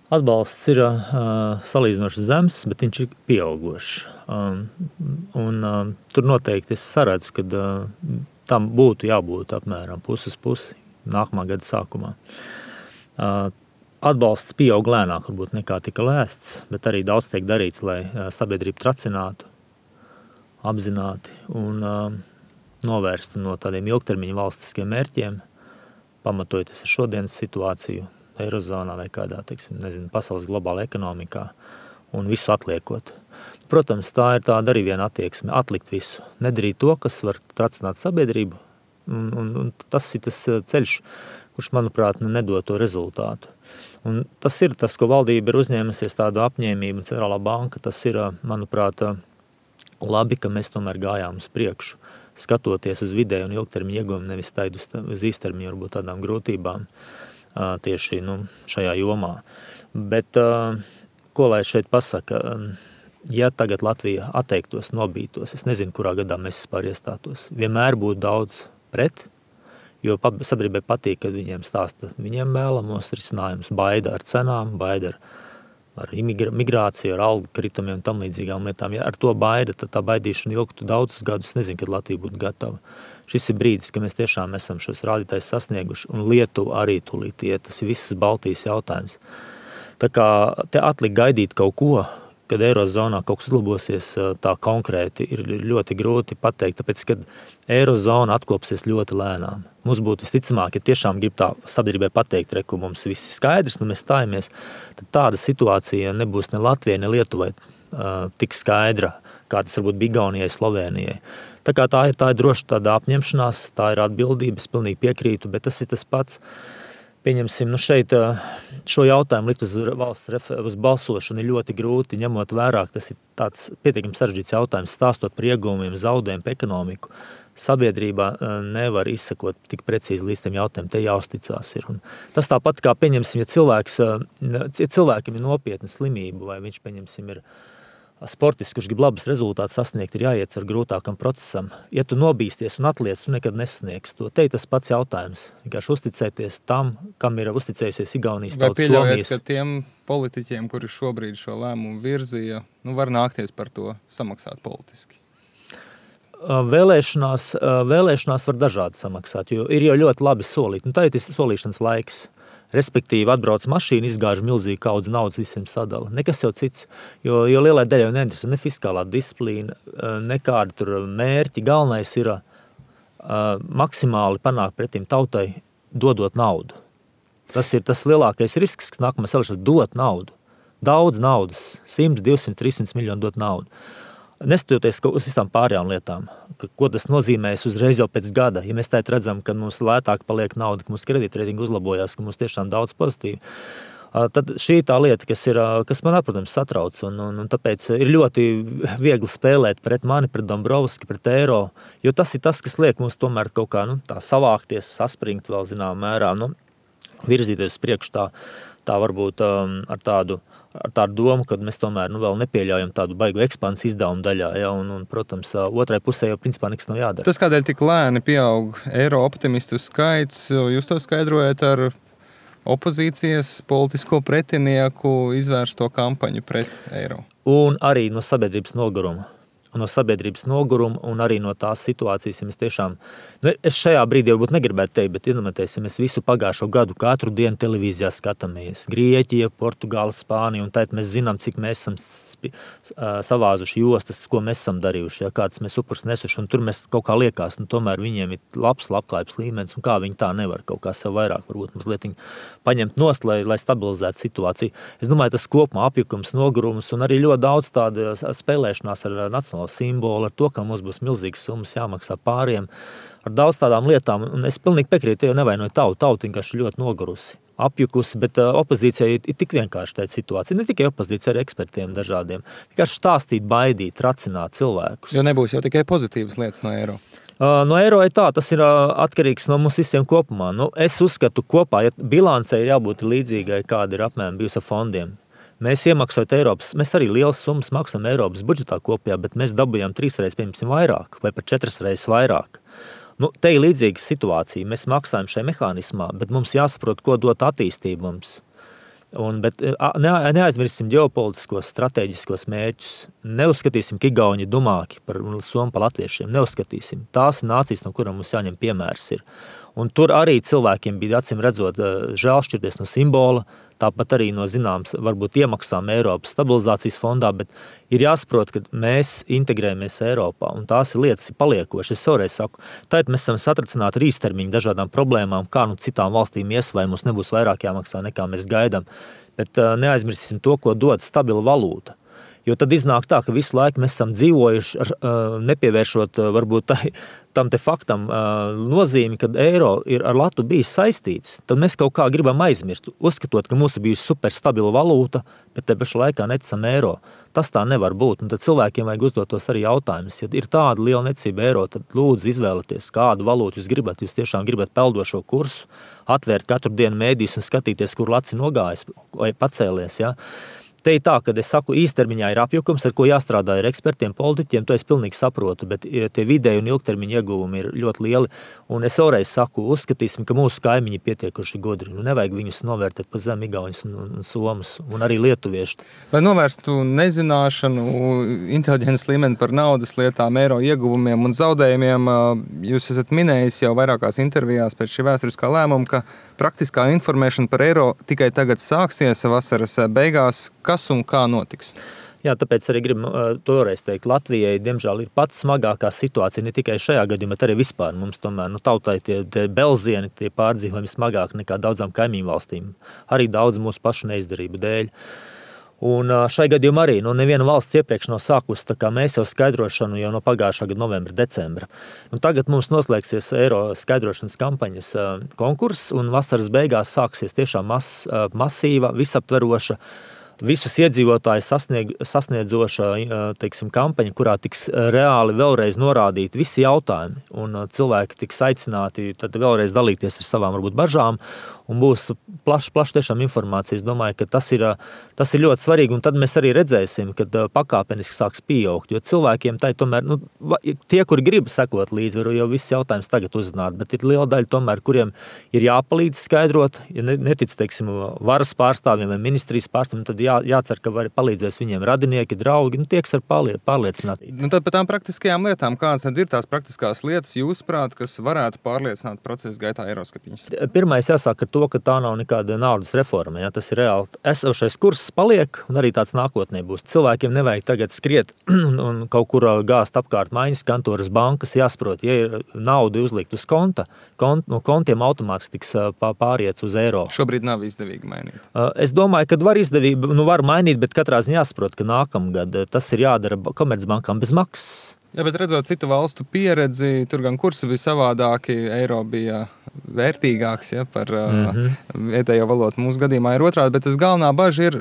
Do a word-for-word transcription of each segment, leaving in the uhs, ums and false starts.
Atbalsts ir uh, salīdzinoši zems, bet viņš ir pieaugošs. Um, un um, tur noteikti es saredzu, ka uh, tam būtu jābūt apmēram pusi uz pusi nākamā gada sākumā. Uh, atbalsts pieaug lēnāk, varbūt nekā tika lēsts, bet arī daudz tiek darīts, lai uh, sabiedrību tracinātu, apzināti un uh, novērstu no tādiem ilgtermiņa valstiskiem mērķiem, pamatojoties ar šodienas situāciju, Eirozonā vai kādā, teiksim, nezinu, pasaules globāla ekonomikā un visu atliekot. Protams, tā ir tāda arī viena attieksme, atlikt visu, nedarīt to, kas var tracināt sabiedrību, un, un, un tas ir tas ceļš, kurš, manuprāt, nedod to rezultātu. Un tas ir tas, ko valdība ir uzņēmusies tādu apņēmību, un Centrālā banka, tas ir, manuprāt, labi, ka mēs tomēr gājām uz priekšu, skatoties uz vidēju un ilgtermiņu ieguvumu, nevis taidu uz īstermiņu, varbūt tādām grūtībām tieši nu, šajā jomā. Bet, ko lai šeit pasaka, ja tagad Latvija atteiktos, nobītos, es nezinu, kurā gadā mēs vispār iestātos, vienmēr būtu daudz pret, jo sabiedrībai patīk, kad viņiem stāsta viņiem vēlamos risinājumus, baida ar cenām, baida ar, ar migrāciju, ar algu kritumiem un tam līdzīgām lietām. Ja ar to baida, tad tā baidīšana ilgtu daudzus gadus, nezinu, kad Latvija būtu gatava. Šis ir brīdis, ka mēs tiešām esam šos rādītājus sasnieguši, un Lietuva arī tūlīt iet. Tas ir visas Baltijas jautājums. Tā kā te atlikt gaidīt kaut ko, kad Eirozonā kaut kas uzlabosies tā konkrēti, ir ļoti grūti pateikt, tāpēc, kad Eirozona atkopsies ļoti lēnām. Mums būtu visticamāk, ja tiešām grib tā sabiedrībai pateikt, reku mums viss skaidrs, nu mēs stājamies, tad tāda situācija nebūs ne Latvijai, ne Lietuvai uh, tik skaidra, kā tas varbūt bija Igaunijai, Slovenijai. Tā kā tā ir, tā ir droši tāda apņemšanās, tā ir atbildība, es pilnīgi piekrītu, bet tas ir tas pats, pieņemsim, nu šeit šo jautājumu likt uz valsts refer- uz balsošanu ir ļoti grūti, ņemot vērā, tas ir tāds pietiekami sarežģīts jautājums, stāstot par ieguvumiem, zaudējumu, par ekonomiku. Sabiedrībā nevar izsakot tik precīzi līdz tiem jautājumiem, te jāuzticās ir. Un tas tāpat kā, pieņemsim, ja cilvēks, ja cilvēkiem ir nopietna slimība, vai viņš, pieņemsim, ir sportists, kurš grib labus rezultātus sasniegt, ir jāiet ar grūtākam procesam. Ja tu nobīsties un atliec, tu nekad nesasniegs to. Te ir tas pats jautājums. Vienkārši uzticēties tam, kam ir uzticējusies Igaunijas tautas, Somijas. Vai pieļaujat, ka tiem politiķiem, kuri šobrīd šo lēmumu virzīja, nu var nākties par to samaksāt politiski? Vēlēšanās, vēlēšanās var dažādi samaksāt, jo ir jau ļoti labi solīt. Nu, tā ir tas solīšanas laiks. Respektīvi, atbrauc mašīna, izgāž milzīgi kaudzi naudas, visiem sadala. Nekas jau cits, jo, jo lielai daļai neinteresē ne fiskālā disciplīna, nekādi tur mērķi. Galvenais ir uh, maksimāli panākt pretim tautai, dodot naudu. Tas ir tas lielākais risks, kas nākamais vēlēšanas dot naudu. Daudz naudas, simt, divsimt, trīssimt miljonu dot naudu. Neskatoties uz visām pārējām lietām, ko tas nozīmēs uzreiz jau pēc gada. Ja mēs tēt redzam, ka mums lētāk paliek nauda, ka mūsu kredītreitingi uzlabojās, ka mums tiešām daudz pozitīvi, tad šī tā lieta, kas, ir, kas man, protams, satrauc. Un, un, un tāpēc ir ļoti viegli spēlēt pret mani, pret Dombrovski, pret eiro, jo tas ir tas, kas liek mums tomēr kaut kā nu, tā savākties, saspringt vēl zinām mērā, nu, virzīties priekš tā, tā varbūt um, ar tādu ar tādu domu, ka mēs tomēr nu, vēl nepieļaujam tādu baigu ekspansiju izdevumu daļā, ja, un, un, protams, otrai pusē jau principā nekas nav jādara. Tas, kādēļ tik lēni pieaug eiro optimistu skaits, jūs to skaidrojat ar opozīcijas politisko pretinieku izvērsto kampaņu pret eiro? Un arī no sabiedrības noguruma. No sabiedrības noguruma un arī no tās situācijas, ja mēs tiešām, nu, es šajā brīdī varbūt negribētu teikt, bet iedomājieties, ja mēs visu pagājušo gadu katru dienu televīzijā skatāmies, Grieķija, Portugāla, Spānija, un tad mēs zinām, cik mēs esam spi, savāzuši jostas, ko mēs esam darījuši, ja, kāds mēs upurs nesuši, un tur mēs kaut kā liekas, nu, tomēr viņiem ir labs labklājības līmenis, un kā viņi tā nevar kaut kā sev vairāk, varbūt mazliet paņemt nost, lai, lai stabilizētu situāciju. Es domāju, tas kopumā apjukums, nogurums un arī ļoti daudz tāda spēlēšanās ar nacionālo simbolu, ar to, ka mums būs milzīgas summas jāmaksā pāriem, ar daudz tādām lietām, un es pilnīgi piekrītu, jau nevainoju tautu, tautu vienkārši ļoti nogurusi, apjukusi, bet uh, opozīcijai ir, ir tik vienkārši tāda situācija, ne tikai opozīcija, arī ekspertiem dažādiem, vienkārši stāstīt, baidīt, racināt cilvēkus. Jo nebūs jau tikai pozitīvas lietas no eiro. Uh, no eiro ir tā, tas ir uh, atkarīgs no mums visiem kopumā. Nu, es uzskatu kopā, ja bilancei ir jābūt līdzīgai, kāda ir apmēram bijusi ar fondiem. Mēs iemaksājot Eiropas, mēs arī lielas summas maksām Eiropas budžetā kopējā, bet mēs dabujām trīs reizes, piemēram, vairāk vai pat četras reizes vairāk. Nu, te ir līdzīga situācija. Mēs maksājam šajā mehānismā, bet mums jāsaprot, ko dot attīstību mums. Un, bet ne, neaizmirsim ģeopolitiskos, strateģiskos mērķus. Neuzskatīsim, ka Igauni dumāki par somu pa latviešiem. Neuzskatīsim. Tās ir nācijas, no kurām mums jāņem piemērs ir. Un tur arī cilvēkiem bija acīm redzot žēl šķirties no simbola, tāpat arī no zināms, varbūt iemaksām Eiropas stabilizācijas fondā, bet ir jāsaprot, ka mēs integrējamies Eiropā, un tās ir lietas paliekošas. Es savreiz saku, tad mēs esam satricināti ar īstermiņu dažādām problēmām, kā nu citām valstīm ies, vai mums nebūs vairāk jāmaksā, nekā mēs gaidām. Bet uh, neaizmirsīsim to, ko dod stabila valūta. Jo tad iznāk tā, ka visu laiku mēs esam dzīvojuši, ar, nepievēršot varbūt tai, tam te faktam nozīmi, kad eiro ir ar latu bijis saistīts, tad mēs kaut kā gribam aizmirst, uzskatot, ka mums ir bijusi super stabila valūta, bet te pašā laikā neticam eiro. Tas tā nevar būt, un tad cilvēkiem vajag uzdot tos arī jautājumus. Ja ir tāda liela neticība eiro, tad lūdzu izvēlieties, kādu valūtu jūs gribat. Jūs tiešām gribat peldošo kursu, atvērt katru dienu mēdījus un skatīties, kur laci nogājis vai pacēlies, ja? Te ir tā, kad es saku, īstermiņā ir apjukums, ar ko jāstrādā ar ekspertiem, politiķiem, to es pilnīgi saprotu, bet tie vidēji un ilgtermiņa ieguvumi ir ļoti lieli. Un es vēlreiz saku, uzskatīsim, ka mūsu kaimiņi pietiekuši godri. Nu, nevajag viņus novērtēt pa zem igauņus un, un, un somus, un arī lietuvieši. Lai novērstu nezināšanu, inteliģences līmeni par naudas lietām, eiro ieguvumiem un zaudējumiem, jūs esat minējis jau vairākās intervijās pēc šī vēsturiskā lēmuma, ka praktiskā informēšana par eiro tikai tagad sāksies vasaras beigās. Kas un kā notiks? Jā, tāpēc arī gribu to vēlreiz teikt. Latvijai, diemžēl, ir pats smagākā situācija, ne tikai šajā gadījumā, bet arī vispār. Mums tomēr, nu, tautai tie, tie belzieni, tie pārdzīvojumi smagāk nekā daudzām kaimiņu valstīm. Arī daudz mūsu pašu neizdarību dēļ. Un šai gadījumā arī, nu, neviena valsts iepriekš nav sākusi, tā kā mēs jau skaidrošanu jau no pagājušā gada novembra, decembra. Un tagad mums noslēgsies eiro skaidrošanas kampaņas konkurss, un vasaras beigās sāksies tiešām mas, masīva, visaptveroša, visus iedzīvotājus sasnieg, sasniedzoša, teiksim, kampaņa, kurā tiks reāli vēlreiz norādīti visi jautājumi, un cilvēki tiks aicināti tad vēlreiz dalīties ar savām varbūt bažām, un būs plašs, plašs tiešām informācija. Es domāju, ka tas ir, tas ir ļoti svarīgi, un tad mēs arī redzēsim, kad pakāpeniski sāks pieaugt, jo cilvēkiem tai tomēr, nu, tie, kuri grib sekot līdzi, var jau viss jautājums tagad uzzināt, bet ir liela daļa tomēr, kuriem ir jāpalīdz skaidrot, ja netic, teiksim, varas pārstāvjiem vai ministrijas pārstāvjiem, tad jā, jācer, ka var palīdzēs viņiem radinieki, draugi, nu, tieks ar pārliecināt. Nu, tad par tām praktiskajām lietām, kādas tad ir tās praktiskās lietas, jūsuprāt, kas varētu pārliecināt procesa gaitā eiroskeptiņus? Pirmais jāsāk ar to, ka tā nav nekāda naudas reforma. Ja? Tas ir reāli. Esošais kurss paliek, un arī tāds nākotnē būs. Cilvēkiem nevajag tagad skriet un, un kaut kur gāzt apkārt maiņas kantoras bankas. Jāsaprot, ja ir nauda uzlikt uz konta, kont, no kontiem automātiski tiks pāriets uz eiro. Šobrīd nav izdevīgi mainīt. Es domāju, ka var izdevība, nu var mainīt, bet katrā ziņā jāsaprot, ka nākamgad tas ir jādara komercbankām bez maksas. Jā, bet redzot citu valstu pieredzi, tur gan kursi bija savādāki, eiro bija vērtīgāks, ja, par mm-hmm. uh, vietējo valodu. Mūsu gadījumā ir otrādi, bet tas galvenā baža ir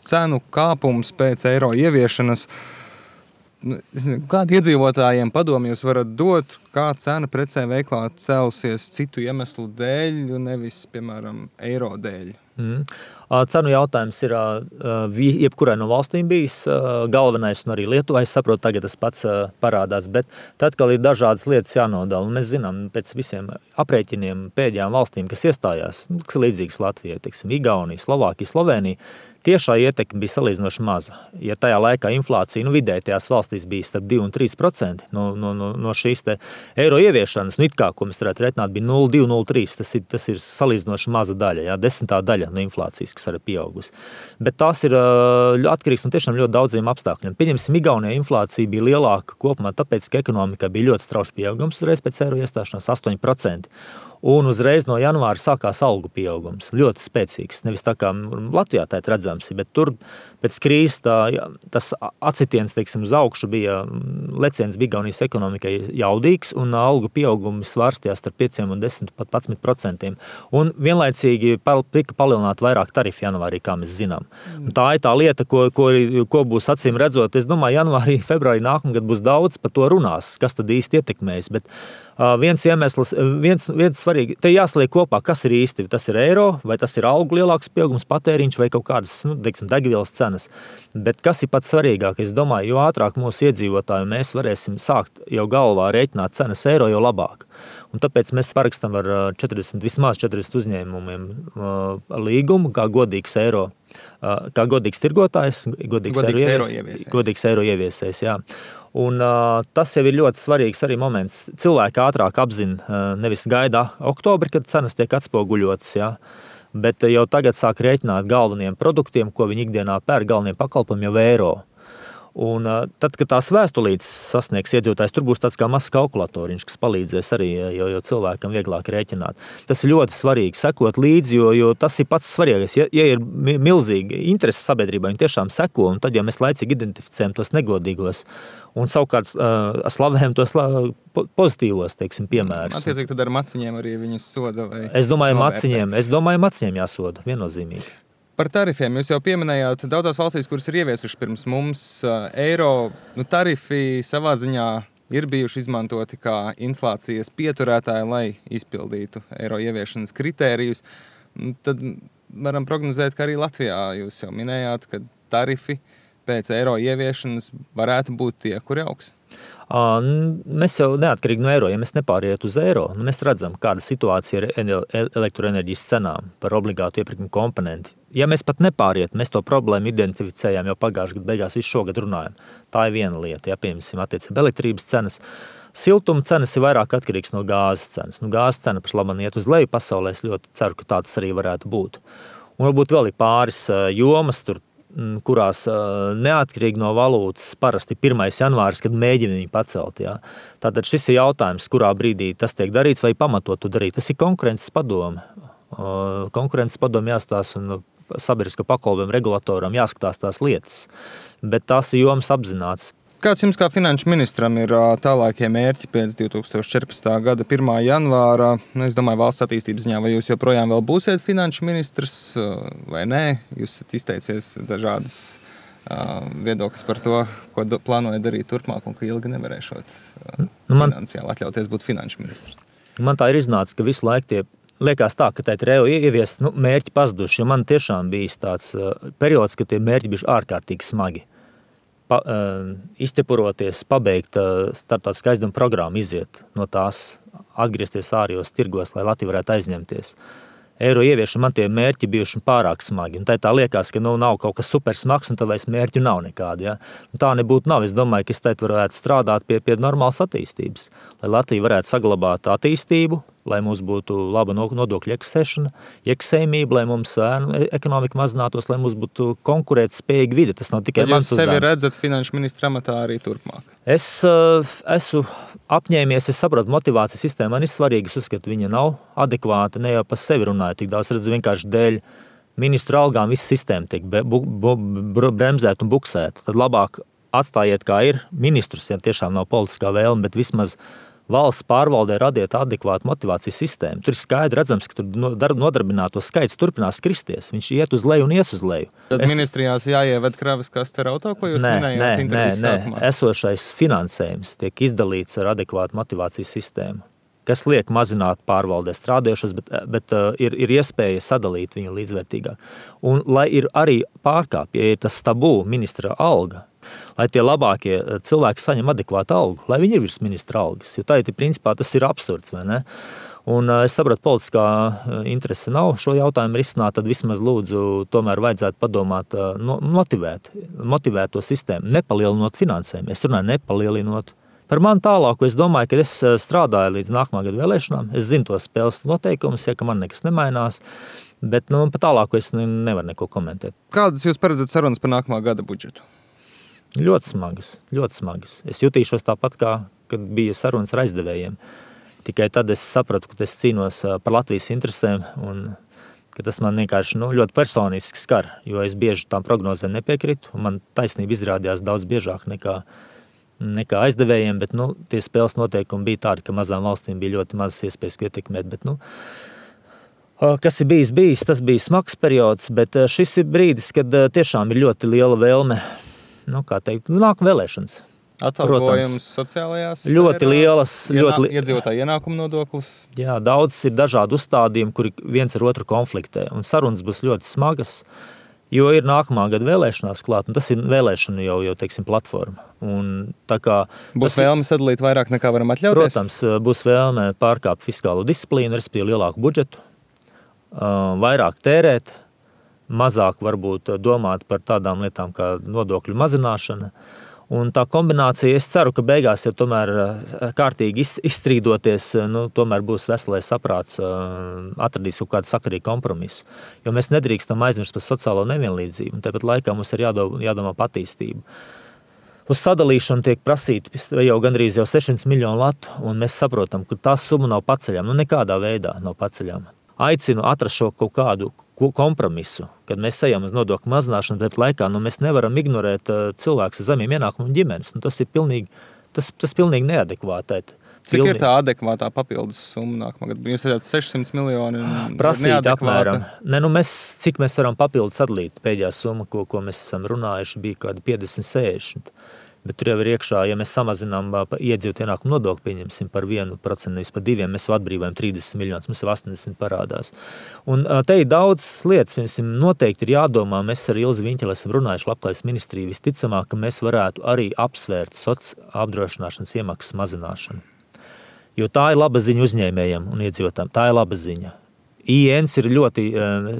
cenu kāpums pēc eiro ieviešanas. Kādi iedzīvotājiem padomi jūs varat dot, kā cena precē veiklā celsies citu iemeslu dēļ, nevis, piemēram, eiro dēļ? Mm. Cenu jautājums ir jebkurai no valstīm bijis galvenais, un arī Lietuvai, es saprotu, tagad tas pats parādās, bet tad, kad ir dažādas lietas jānodala, un mēs zinām pēc visiem aprēķiniem pēdējām valstīm, kas iestājās, kas līdzīgas Latvijai, teiksim, Igaunija, Slovākija, Slovenija, tiešā ietekme bija salīdzinoši maza. Ja tajā laikā inflācija, nu vidēji tajās valstīs bija starp divi un trīs procenti no, no, no, no šīs te eiro ieviešanas, nu it kā, ko mēs varētu reiķināt, bija nulle divi nulle trīs, tas ir, tas ir salīdzinoši maza daļa, jā, desmitā daļa no inflācijas, kas arī pieaugusi. Bet tās ir atkarīgs no tiešām ļoti daudziem apstākļiem. Pieņemsim, Igaunijā inflācija bija lielāka kopumā, tāpēc, ka ekonomikā bija ļoti strauši pieaugums uzreiz pēc eiro iestāšanās astoņi procenti. Un uzreiz no janvāra sākās algu pieaugums, ļoti spēcīgs. Nevis tā kā Latvijā tā ir redzams, bet tur pēc krīzes tā, tas acitiens, teiksim, uz augšu bija, leciens bija Igaunijas ekonomikai jaudīgs, un algu pieaugumi svārstījās starp pieciem un desmit pat padsmit procentiem. Un vienlaicīgi tika palielināt vairāk tarifu janvārī, kā mēs zinām. Un tā ir tā lieta, ko, ko, ko būs acīm redzot. Es domāju, janvārī, februārī nākamgad būs daudz par to runās, kas tad īsti ietekmēs, bet Viens iemesls, viens, viens svarīgi, te jāsaliek kopā, kas ir īsti, tas ir eiro, vai tas ir algu lielāks pieaugums, patēriņš vai kaut kādas, nu, teiksim, degvielas cenas. Bet kas ir pats svarīgāk? Es domāju, jo ātrāk mūsu iedzīvotāji mēs varēsim sākt jau galvā rēķināt cenas eiro, jo labāk. Un tāpēc mēs parakstam ar četrdesmit, vismaz četrdesmit uzņēmumiem līgumu, kā godīgs eiro, kā godīgs tirgotājs, godīgs, godīgs eiro, ievies, godīgs eiro ieviesējs, jā. Un uh, tas jau ir ļoti svarīgs arī moments. Cilvēki ātrāk apzina, uh, nevis gaida oktobri, kad cenas tiek atspoguļotas, jā, bet jau tagad sāk rēķināt galveniem produktiem, ko viņi ikdienā pērk, galveniem pakalpojumiem jau eiro. Un uh, tad, kad tās vēstulītes sasniegs iedzīvotājs, tur būs tāds kā mazs kalkulatoriņš, kas palīdzēs arī, jo, jo cilvēkam vieglāk rēķināt. Tas ir ļoti svarīgi sekot līdzi, jo, jo tas ir pats svarīgais. Ja, ja ir milzīgi interesi sabiedrībā, viņi tiešām seko, un tad, ja mēs laicīgi identificējam tos negodīgos, un savukārt uh, slavējam tos pozitīvos, teiksim, piemērus. Attiecīgi tad ar maciņiem arī viņus soda vai Es domāju, novērtē? maciņiem, es domāju, maciņiem jāsoda, viennozīmīgi. Par tarifiem jūs jau pieminējāt, daudzās valstīs, kuras ir ieviesuši pirms mums eiro, nu, tarifi savā ziņā ir bijuši izmantoti kā inflācijas pieturētāji, lai izpildītu eiro ieviešanas kritērijus. Tad varam prognozēt, ka arī Latvijā jūs jau minējāt, ka tarifi pēc eiro ieviešanas varētu būt tie, kuri augs. Mēs jau neatkarīgi no eiro, ja mēs nepāriet uz eiro, nu mēs redzam, kāda situācija ir elektroenerģijas cenām par obligātu iepirkumu komponenti. Ja mēs pat nepāriet, mēs to problēmu identificējām jau pagājušajā gadu beigās, visu šogad runājam. Tā ir viena lieta, ja piemēram attiecībā elektrības cenas. Siltuma cenas ir vairāk atkarīgs no gāzes cenas. Nu, gāzes cena pašlaban iet uz leju pasaulē, es ļoti ceru, ka tā tas arī varētu būt. Un varbūt vēl ir pāris jomas tur, kurās neatkarīgi no valūtas parasti pirmais janvāris, kad mēģina viņu pacelt. Jā. Tātad šis ir jautājums, kurā brīdī tas tiek darīts vai pamatot to darīt. Tas ir konkurences padome. Konkurences padome jāstāsta un sabiedrisko pakalpojumu regulatoram jāskatās tās lietas. Bet tās ir jomas apzināts. Kāds jums kā finanšu ministram ir tālākie mērķi pēc divi tūkstoši četrpadsmitā gada pirmā janvāra? Nu, es domāju, valsts attīstības ziņā, vai jūs joprojām vēl būsiet finanšu ministrs vai nē? Jūs esat izteicies dažādas uh, viedokļas par to, ko do, plānojat darīt turpmāk un ka ilgi nevarēšot uh, nu, man, finansiāli atļauties būt finanšu ministrs. Man tā ir iznācis, ka visu laiku tie liekas tā, ka tā ir reo ievies nu, mērķi pazuduši, jo man tiešām bijis tāds uh, periods, ka tie mērķi bijuši ārkārtīgi smagi. Pa, uh, izķepuroties, pabeigt uh, starptautiskā aizdevuma programmu, iziet no tās, atgriezties ārējos tirgos, lai Latvija varētu aizņemties. Eiro ieviešana man tie mērķi bijuši pārāk smagi. Un tā, tā liekas, ka nu, nav kaut kas super smags, un tā vairs mērķu nav nekādi. Ja? Un tā nebūtu nav. Es domāju, ka es teikt varētu strādāt pie, pie normālas attīstības, lai Latvija varētu saglabāt attīstību, lai mums būtu laba nodokļu iekasēšana, iekasējumība, lai mums ekonomika mazinātos, lai mums būtu konkurētspējīga vide. Tas nav tikai mans uzdevums. Jūs sevi redzat finanšu ministra amatā arī turpmāk? Es uh, esmu apņēmies, es saprotu, motivācijas sistēma man ir svarīga, es uzskatu, viņa nav adekvāta, ne jau par sevi runāju, tik daudz redzu vienkārši dēļ ministru algām visa sistēma tiek bu, bu, bu, bremzēta un buksēta. Tad labāk atstājiet, kā ir ministrus, ja tiešām nav politiskā vēlme, bet vismaz valsts pārvaldē radiet adekvātu motivācijas sistēmu. Tur ir skaidri redzams, ka tur nodarbināto skaits turpinās kristies. Viņš iet uz leju un ies uz leju. Tad es... ministrijās jāieved kravas kaste auto, ko jūs nē, minējāt intervijas nē, sākumā? Nē, esošais finansējums tiek izdalīts ar adekvātu motivācijas sistēmu, kas liek mazināt pārvaldē strādājošos, bet, bet uh, ir, ir iespēja sadalīt viņu līdzvērtīgāk. Un lai ir arī pārkāpja, ja ir tas tabū ministra alga, lai tie labākie cilvēki saņem adekvātu algu, lai viņi ir virs ministra algas, jo tā ir, principā, tas ir absurds, vai ne? Un es sapratu, politiskā interese nav šo jautājumu risināt, tad vismaz lūdzu tomēr vajadzētu padomāt, no, motivēt, motivēt to sistēmu, nepalielinot finansējumu. Es runāju nepalielinot. Par mani tālāku es domāju, ka es strādāju līdz nākamā gada vēlēšanām. Es zinu tos spēles noteikumus, ja ka man nekas nemainās, bet nu, pa tālāku es nevaru neko komentēt. Kādas jūs paredzat sarunas par nākamā gada budžetu? Ļoti smagas, ļoti smagas. Es jutīšos tāpat, kā kad bija sarunas ar aizdevējiem. Tikai tad es sapratu, ka es cīnos par Latvijas interesēm un ka tas man vienkārši nu, ļoti personiski skar, jo es bieži tām prognozēm nepiekritu, un man taisnība izrādījās daudz biežāk nekā, nekā aizdevējiem, bet nu, tie spēles noteikumi bija tādi, ka mazām valstīm bija ļoti mazas iespējas ietekmēt, bet nu, kas ir bijis, bijis, tas bija smags periods, bet šis ir brīdis, kad tiešām ir ļoti liela vēlme, nu, kā teikt, nāk vēlēšanas. Atalgojums sociālajās ļoti sfērās, lielas, ļoti li... iedzīvotāju ienākumu nodoklis. Jā, daudz ir dažādi uzstādījumi, kuri viens ar otru konfliktē, un sarunas būs ļoti smagas, jo ir nākamā gada vēlēšanās klāt, un tas ir vēlēšana jau, jau teiksim, platforma. Un tā kā būs vēlme sadalīt vairāk nekā varam atļauties? Protams, būs vēlme pārkāpt fiskālo disciplīnu, respektīvi lielāku budžetu, vairāk tērēt, mazāk varbūt domāt par tādām lietām kā nodokļu mazināšana. Un tā kombinācija, es ceru, ka beigās, ja tomēr kārtīgi izstrīdoties, nu, tomēr būs veselais saprāts, atradīs kaut kādu sakarīgu kompromisu. Jo mēs nedrīkstam aizmirst par sociālo nevienlīdzību, un tāpat laikā mums ir jādomā, jādomā par attīstību. Uz sadalīšanu tiek prasīti jau gandrīz jau sešsimt miljonu latu, un mēs saprotam, ka tā summa nav paceļama, nu nekādā veidā nav paceļama. Aicinu atrast šo kaut kādu kompromisu, kad mēs ejam uz nodokļu mazināšanu, bet laikā nu, mēs nevaram ignorēt cilvēkus ar zemiem ienākumu un ģimenes. Nu, tas ir pilnīgi, tas, tas pilnīgi neadekvāti. Cik pilnīgi. Ir tā adekvātā papildus summa nākamā gada? Jūs redzat sešsimt miljoni prasīt apmēram. Ne, nu mēs, cik mēs varam papildus sadalīt? Pēdējā summa, ko, ko mēs esam runājuši, bija kāda piecdesmit sešdesmit. Bet tur jau ir iekšā, ja mēs samazinām iedzīvotāju ienākumu nodokli, pieņemsim par vienu procentu, nevis par diviem, mēs jau atbrīvojam trīsdesmit miljonus, mums jau astoņdesmit parādās. Un te ir daudz lietas, piemēram, noteikti ir jādomā, mēs ar Ilzi Viņķeli esam runājuši Labklājības ministriju, visticamāk, ka mēs varētu arī apsvērt sociālās apdrošināšanas iemaksas mazināšanu. Jo tā ir laba ziņa uzņēmējiem un iedzīvotājiem, tā ir laba ziņa. I N S ir ļoti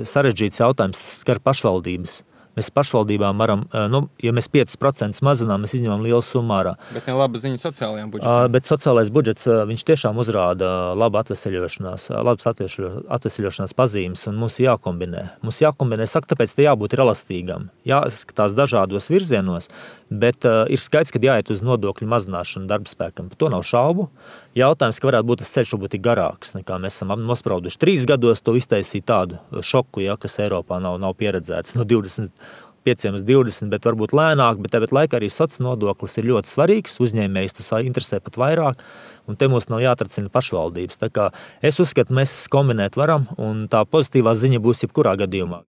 sarežģīts jautājums, skar pašvaldības. Mēs pašvaldībām varam, nu, ja mēs pieci procenti mazinām, mēs izņemam lielu summu ārā. Bet ne laba ziņa sociālajām budžetām. Bet sociālais budžets, viņš tiešām uzrāda labu atveseļošanās, labas atveseļošanās pazīmes, un mums jākombinē. Mums jākombinē, saka, tāpēc te jābūt elastīgam, jāskatās dažādos virzienos, bet uh, ir skaidrs, ka jāiet uz nodokļu mazināšanu darbspēkam. Par to nav šaubu. Jautājums, ka varētu būt tas ceļš varbūt garāks, nekā mēs esam nosprauduši. Trīs gados to iztaisīt tādu šoku, ja, kas Eiropā nav, nav pieredzēts. No divdesmit pieciem uz divdesmit, bet varbūt lēnāk, bet tāpat laikā arī sociālais nodoklis ir ļoti svarīgs. Uzņēmējs tas interesē pat vairāk, un te mums nav jāatracina pašvaldības. Tā kā es uzskatu, mēs kombinēt varam, un tā pozitīvā ziņa būs jebkurā gadījumā.